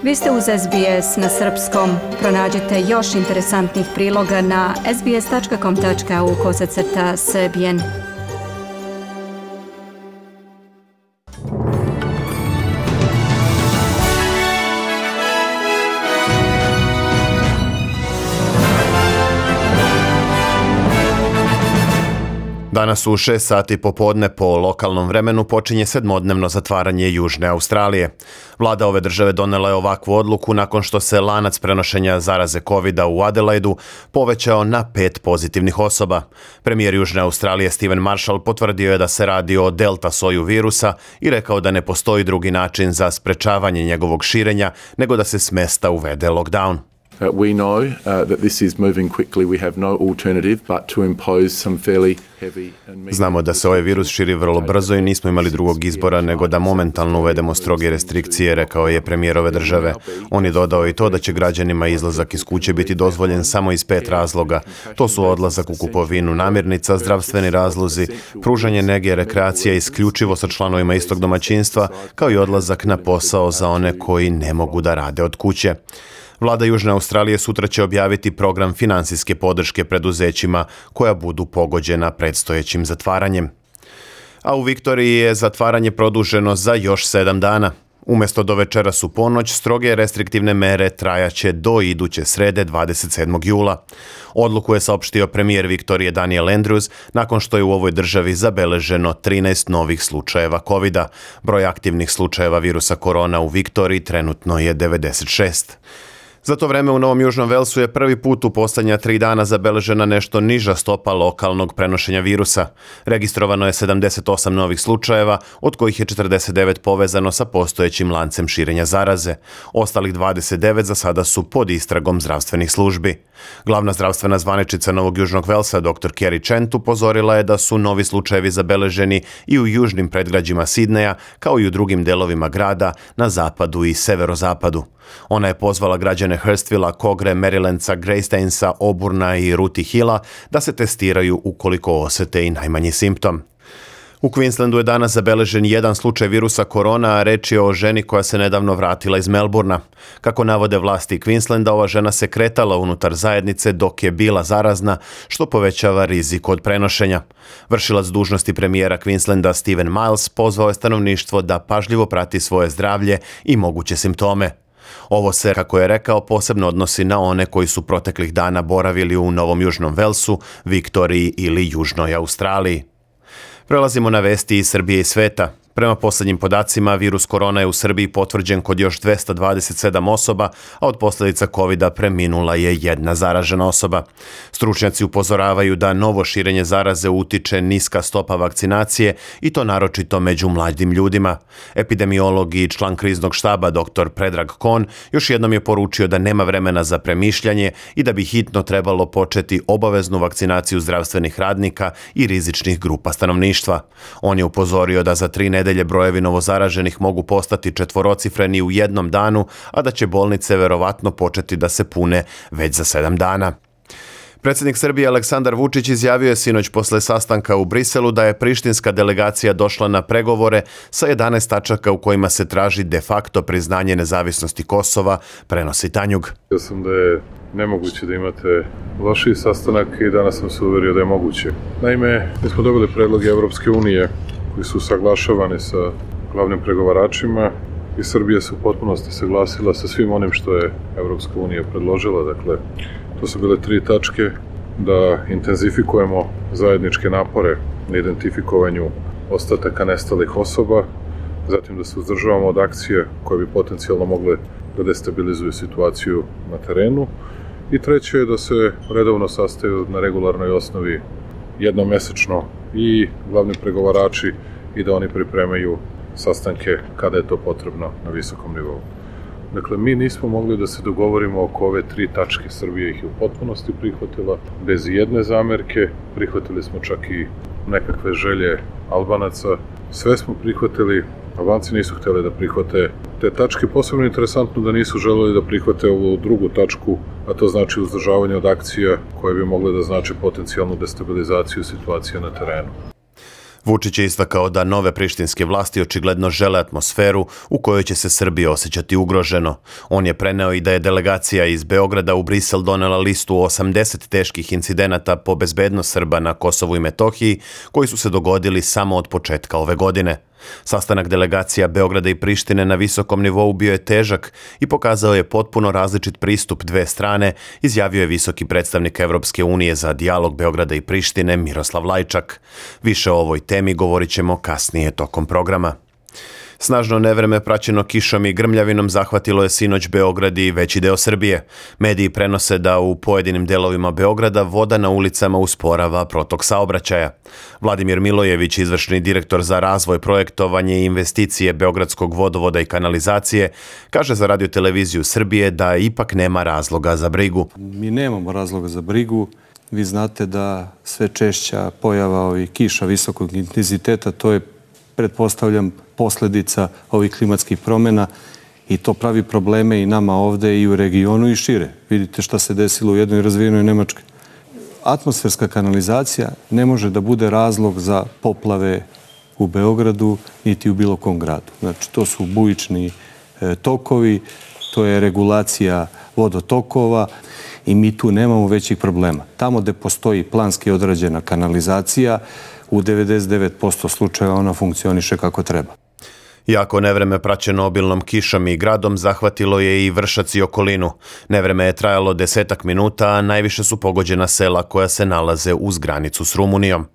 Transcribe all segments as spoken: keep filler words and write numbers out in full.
Vi ste uz S B S na srpskom. Pronađite još interesantnih priloga na sbs.com.au kosacrta srbijen. Danas u šest sati popodne po lokalnom vremenu počinje sedmodnevno zatvaranje Južne Australije. Vlada ove države donela je ovakvu odluku nakon što se lanac prenošenja zaraze kovida u Adelaidu povećao na pet pozitivnih osoba. Premijer Južne Australije Stephen Marshall potvrdio je da se radi o delta soju virusa i rekao da ne postoji drugi način za sprečavanje njegovog širenja nego da se s mesta uvede lockdown. Uh, we know uh, that this is moving quickly. We have no alternative but to impose some fairly heavy and Znamo da se ovaj virus širi vrlo brzo i nismo imali drugog izbora nego da momentalno uvedemo stroge restrikcije, rekao je premijer ove države. On je dodao i to da će građanima izlazak iz kuće biti dozvoljen samo iz pet razloga. To su odlazak u kupovinu namirnica, zdravstveni razlozi, pružanje nege, rekreacija isključivo sa članovima istog domaćinstva, kao i odlazak na posao za one koji ne mogu da rade od kuće. Vlada Južne Australije sutra će objaviti program finansijske podrške preduzećima koja budu pogođena predstojećim zatvaranjem. A u Viktoriji je zatvaranje produženo za još sedam dana. Umjesto do večeras u ponoć, stroge restriktivne mere trajaće do iduće srede dvadeset sedmog jula. Odluku je saopštio premijer Viktorije Daniel Andrews nakon što je u ovoj državi zabeleženo trinaest novih slučajeva kovida. Broj aktivnih slučajeva virusa korona u Viktoriji trenutno je devedeset šest. Za to vreme u Novom Južnom Velsu je prvi put u posljednja tri dana zabeležena nešto niža stopa lokalnog prenošenja virusa. Registrovano je sedamdeset osam novih slučajeva, od kojih je četrdeset devet povezano sa postojećim lancem širenja zaraze. Ostalih dvadeset devet za sada su pod istragom zdravstvenih službi. Glavna zdravstvena zvaničica Novog Južnog Velsa, doktor Kerry Chant, upozorila je da su novi slučajevi zabeleženi i u južnim predgrađima Sidneja, kao i u drugim delovima grada na zapadu i severozapadu. Ona je pozvala građane Hurstvilla, Kogre, Marylandsa, Greystainsa, Oburna i Rooty Hilla da se testiraju ukoliko osjete i najmanji simptom. U Queenslandu je danas zabeležen jedan slučaj virusa korona, a reč je o ženi koja se nedavno vratila iz Melbourna. Kako navode vlasti Queenslanda, ova žena se kretala unutar zajednice dok je bila zarazna, što povećava rizik od prenošenja. Vršilac dužnosti premijera Queenslanda Stephen Miles pozvao je stanovništvo da pažljivo prati svoje zdravlje i moguće simptome. Ovo se, kako je rekao, posebno odnosi na one koji su proteklih dana boravili u Novom Južnom Velsu, Viktoriji ili Južnoj Australiji. Prelazimo na vesti iz Srbije i sveta. Prema posljednjim podacima, virus korona je u Srbiji potvrđen kod još dvesta dvadeset sedam osoba, a od posljedica kovida preminula je jedna zaražena osoba. Stručnjaci upozoravaju da novo širenje zaraze utiče niska stopa vakcinacije i to naročito među mladim ljudima. Epidemiolog i član kriznog štaba doktor Predrag Kon još jednom je poručio da nema vremena za premišljanje i da bi hitno trebalo početi obaveznu vakcinaciju zdravstvenih radnika i rizičnih grupa stanovništva. On je upozorio da za tri nedelje brojevi novozaraženih mogu postati četvorocifreni u jednom danu, a da će bolnice verovatno početi da se pune već za sedam dana. Predsjednik Srbije Aleksandar Vučić izjavio je sinoć posle sastanka u Briselu da je prištinska delegacija došla na pregovore sa jedanaest tačaka u kojima se traži de facto priznanje nezavisnosti Kosova, prenosi Tanjug. Ja sam da je nemoguće da imate lošiji sastanak i danas sam se uverio da je moguće. Naime, mi smo dobili predloge Evropske unije koji su saglašavani sa glavnim pregovaračima i Srbija se u potpunosti saglasila sa svim onim što je Evropska unija predložila. Dakle, to su bile tri tačke: da intenzifikujemo zajedničke napore na identifikovanju ostataka nestalih osoba, zatim da se uzdržavamo od akcije koje bi potencijalno mogle da destabilizuju situaciju na terenu i treće je da se redovno sastaju na regularnoj osnovi jednomesečno i glavni pregovarači i da oni pripremaju sastanke kada je to potrebno na visokom nivou. Dakle, mi nismo mogli da se dogovorimo oko ove tri tačke. Srbija ih je u potpunosti prihvatila, bez jedne zamerke. Prihvatili smo čak i nekakve želje Albanaca. Sve smo prihvatili, Albanci nisu htjeli da prihvate te tačke. Posebno interesantno da nisu želeli da prihvate ovu drugu tačku, a to znači uzdržavanje od akcija koje bi mogle da znači potencijalnu destabilizaciju situacije na terenu. Vučić je istakao da nove prištinske vlasti očigledno žele atmosferu u kojoj će se Srbija osjećati ugroženo. On je preneo i da je delegacija iz Beograda u Brisel donela listu osamdeset teških incidenata po bezbednost Srba na Kosovu i Metohiji, koji su se dogodili samo od početka ove godine. Sastanak delegacija Beograda i Prištine na visokom nivou bio je težak i pokazao je potpuno različit pristup dve strane, izjavio je visoki predstavnik Evropske unije za dijalog Beograda i Prištine Miroslav Lajčak. Više o ovoj temi govorit ćemo kasnije tokom programa. Snažno nevreme praćeno kišom i grmljavinom zahvatilo je sinoć Beograd i veći deo Srbije. Mediji prenose da u pojedinim delovima Beograda voda na ulicama usporava protok saobraćaja. Vladimir Milojević, izvršni direktor za razvoj, projektovanje i investicije Beogradskog vodovoda i kanalizacije, kaže za radioteleviziju Srbije da ipak nema razloga za brigu. Mi nemamo razloga za brigu. Vi znate da sve češća pojava ovih kiša visokog intenziteta, to je, pretpostavljam, posledica ovih klimatskih promjena i to pravi probleme i nama ovde i u regionu i šire. Vidite šta se desilo u jednoj razvijenoj Nemačkoj. Atmosferska kanalizacija ne može da bude razlog za poplave u Beogradu niti u bilo kom gradu. Znači, to su bujični e, tokovi, to je regulacija vodotokova i mi tu nemamo većih problema. Tamo gde postoji planski odrađena kanalizacija, u devedeset devet posto slučajeva ona funkcioniše kako treba. Jako nevreme praćeno obilnom kišom i gradom zahvatilo je i Vršac i okolinu. Nevreme je trajalo desetak minuta, a najviše su pogođena sela koja se nalaze uz granicu s Rumunijom.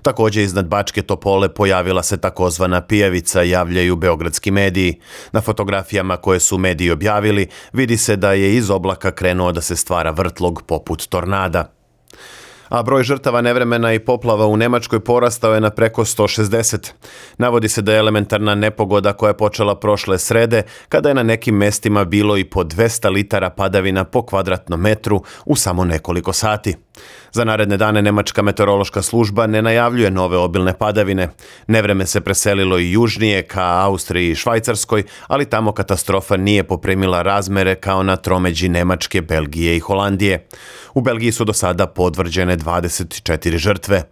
Također iznad Bačke Topole pojavila se takozvana pijavica, javljaju beogradski mediji. Na fotografijama koje su mediji objavili vidi se da je iz oblaka krenuo da se stvara vrtlog poput tornada. A broj žrtava nevremena i poplava u Nemačkoj porastao je na preko sto šezdeset. Navodi se da je elementarna nepogoda koja je počela prošle srede, kada je na nekim mestima bilo i po dvesta litara padavina po kvadratnom metru u samo nekoliko sati. Za naredne dane Nemačka meteorološka služba ne najavljuje nove obilne padavine. Nevreme se preselilo i južnije ka Austriji i Švajcarskoj, ali tamo katastrofa nije poprimila razmere kao na tromeđi Nemačke, Belgije i Holandije. U Belgiji su do sada potvrđene dvadeset četiri žrtve.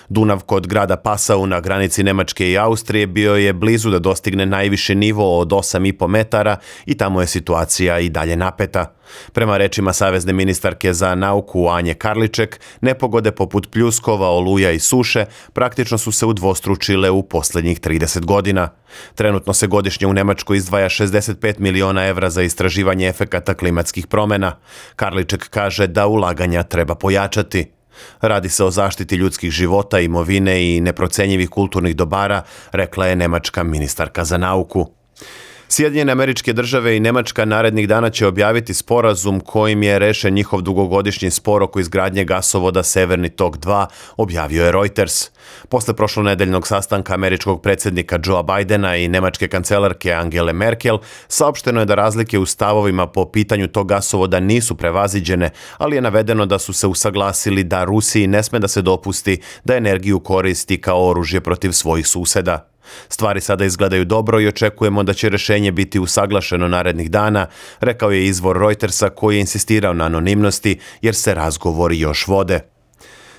Dunav kod grada Passau na granici Nemačke i Austrije bio je blizu da dostigne najviši nivo od osam i po metara i tamo je situacija i dalje napeta. Prema rečima savezne ministarke za nauku Anje Karliček, nepogode poput pljuskova, oluja i suše praktično su se udvostručile u posljednjih trideset godina. Trenutno se godišnje u Nemačkoj izdvaja šezdeset pet miliona evra za istraživanje efekata klimatskih promjena. Karliček kaže da ulaganja treba pojačati. Radi se o zaštiti ljudskih života, imovine i neprocenjivih kulturnih dobara, rekla je nemačka ministarka za nauku. Sjedinjene Američke Države i Nemačka narednih dana će objaviti sporazum kojim je rešen njihov dugogodišnji spor oko izgradnje gasovoda Severni tok dva, objavio je Reuters. Posle prošlonedeljnog sastanka američkog predsjednika Joea Bidena i nemačke kancelarke Angele Merkel, saopšteno je da razlike u stavovima po pitanju tog gasovoda nisu prevaziđene, ali je navedeno da su se usaglasili da Rusiji ne sme da se dopusti da energiju koristi kao oružje protiv svojih suseda. Stvari sada izgledaju dobro i očekujemo da će rešenje biti usaglašeno narednih dana, rekao je izvor Reutersa koji je insistirao na anonimnosti jer se razgovori još vode.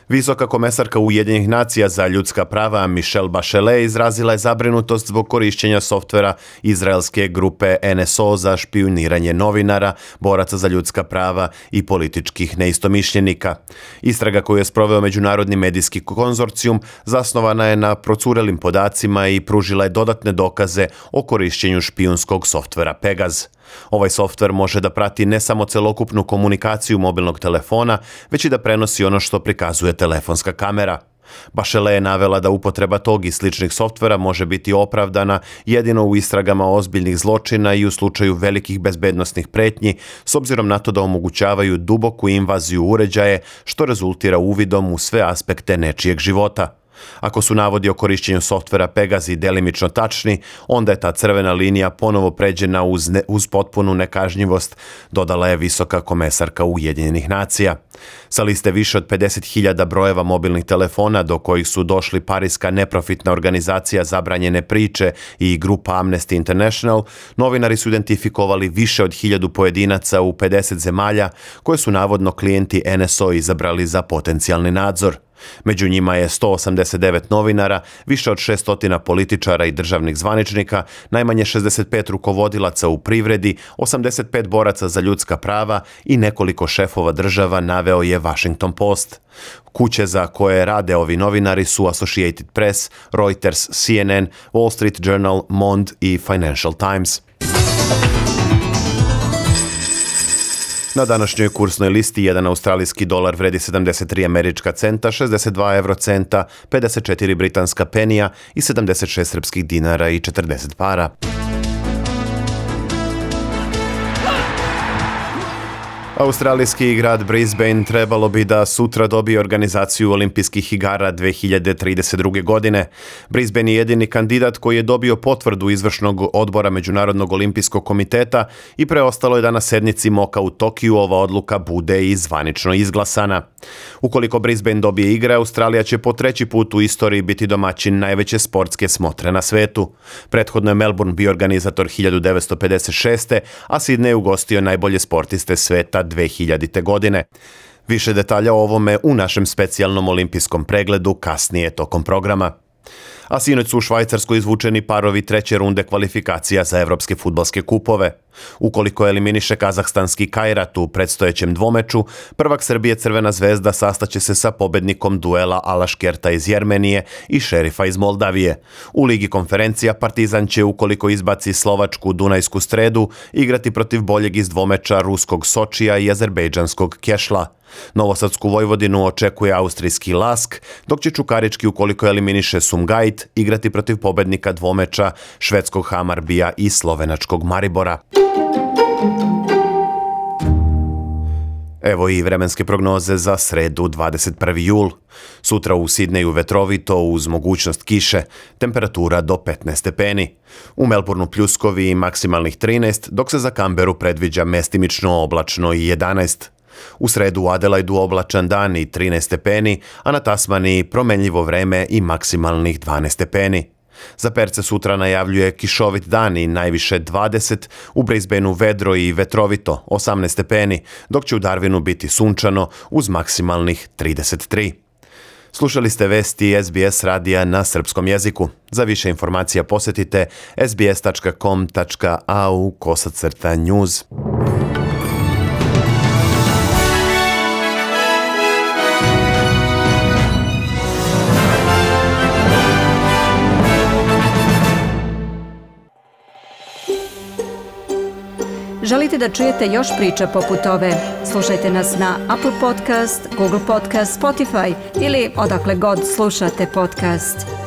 Visoka komesarka Ujedinjenih nacija za ljudska prava Michelle Bachelet izrazila je zabrinutost zbog korišćenja softvera izraelske grupe N S O za špijuniranje novinara, boraca za ljudska prava i političkih neistomišljenika. Istraga koju je sproveo Međunarodni medijski konzorcijum zasnovana je na procurelim podacima i pružila je dodatne dokaze o korišćenju špijunskog softvera Pegaz. Ovaj softver može da prati ne samo celokupnu komunikaciju mobilnog telefona, već i da prenosi ono što prikazuje telefonska kamera. Bachelet je navela da upotreba tog i sličnih softvera može biti opravdana jedino u istragama ozbiljnih zločina i u slučaju velikih bezbednosnih pretnji, s obzirom na to da omogućavaju duboku invaziju uređaje, što rezultira uvidom u sve aspekte nečijeg života. Ako su navodi o korišćenju softvera Pegaz i delimično tačni, onda je ta crvena linija ponovo pređena uz, ne, uz potpunu nekažnjivost, dodala je visoka komesarka Ujedinjenih nacija. Sa liste više od pedeset hiljada brojeva mobilnih telefona do kojih su došli pariska neprofitna organizacija Zabranjene priče i grupa Amnesty International, novinari su identifikovali više od hiljadu pojedinaca u pedeset zemalja koje su navodno klijenti N S O izabrali za potencijalni nadzor. Među njima je sto osamdeset devet novinara, više od šesto političara i državnih zvaničnika, najmanje šezdeset pet rukovodilaca u privredi, osamdeset pet boraca za ljudska prava i nekoliko šefova država, naveo je Washington Post. Kuće za koje rade ovi novinari su Associated Press, Reuters, C N N, Wall Street Journal, Monde i Financial Times. Na današnjoj kursnoj listi jedan australijski dolar vredi sedamdeset tri američka centa, šezdeset dva eurocenta, pedeset četiri britanska penija i sedamdeset šest srpskih dinara i četrdeset para. Australijski grad Brisbane trebalo bi da sutra dobije organizaciju olimpijskih igara dve hiljade trideset druge. godine. Brisbane je jedini kandidat koji je dobio potvrdu izvršnog odbora Međunarodnog olimpijskog komiteta i preostalo je da na sednici Moka u Tokiju ova odluka bude i zvanično izglasana. Ukoliko Brisbane dobije igre, Australija će po treći put u istoriji biti domaćin najveće sportske smotre na svetu. Prethodno je Melbourne bio organizator hiljadu devetsto pedeset šeste. a Sydney je ugostio najbolje sportiste sveta dve hiljadite. godine. Više detalja o ovome u našem specijalnom olimpijskom pregledu kasnije tokom programa. A sinoć su u Švajcarskoj izvučeni parovi treće runde kvalifikacija za evropske fudbalske kupove. Ukoliko eliminiše kazahstanski Kairat u predstojećem dvomeču, prvak Srbije Crvena zvezda sastaće se sa pobednikom duela Alaškerta iz Jermenije i Šerifa iz Moldavije. U Ligi konferencija Partizan će, ukoliko izbaci slovačku Dunajsku Stredu, igrati protiv boljeg iz dvomeča ruskog Sočija i azerbejdžanskog Kešla. Novosadsku Vojvodinu očekuje austrijski Lask, dok će Čukarički, ukoliko eliminiše Sumgajit, igrati protiv pobednika dvomeča švedskog Hamarbija i slovenačkog Maribora. Evo i vremenske prognoze za sredu dvadeset prvi jul. Sutra u Sidneju vetrovito uz mogućnost kiše, temperatura do petnaest stepeni. U Melbourneu pljuskovi i maksimalnih trinaest, dok se za Canberu predviđa mestimično oblačno i jedanaest. U sredu u Adelaidu oblačan dan i trinaest stepeni, a na Tasmaniji promenljivo vreme i maksimalnih dvanaest stepeni. Za Perce sutra najavljuje kišovit dan i najviše dvadeset, u Brisbaneu vedro i vetrovito osamnaest stepeni, dok će u Darwinu biti sunčano uz maksimalnih trideset tri. Slušali ste vesti S B S radija na srpskom jeziku. Za više informacija posjetite s b s tačka com tačka a u kosacrta news. Želite da čujete još priča poput ove? Slušajte nas na Apple Podcast, Google Podcast, Spotify ili odakle god slušate podcast.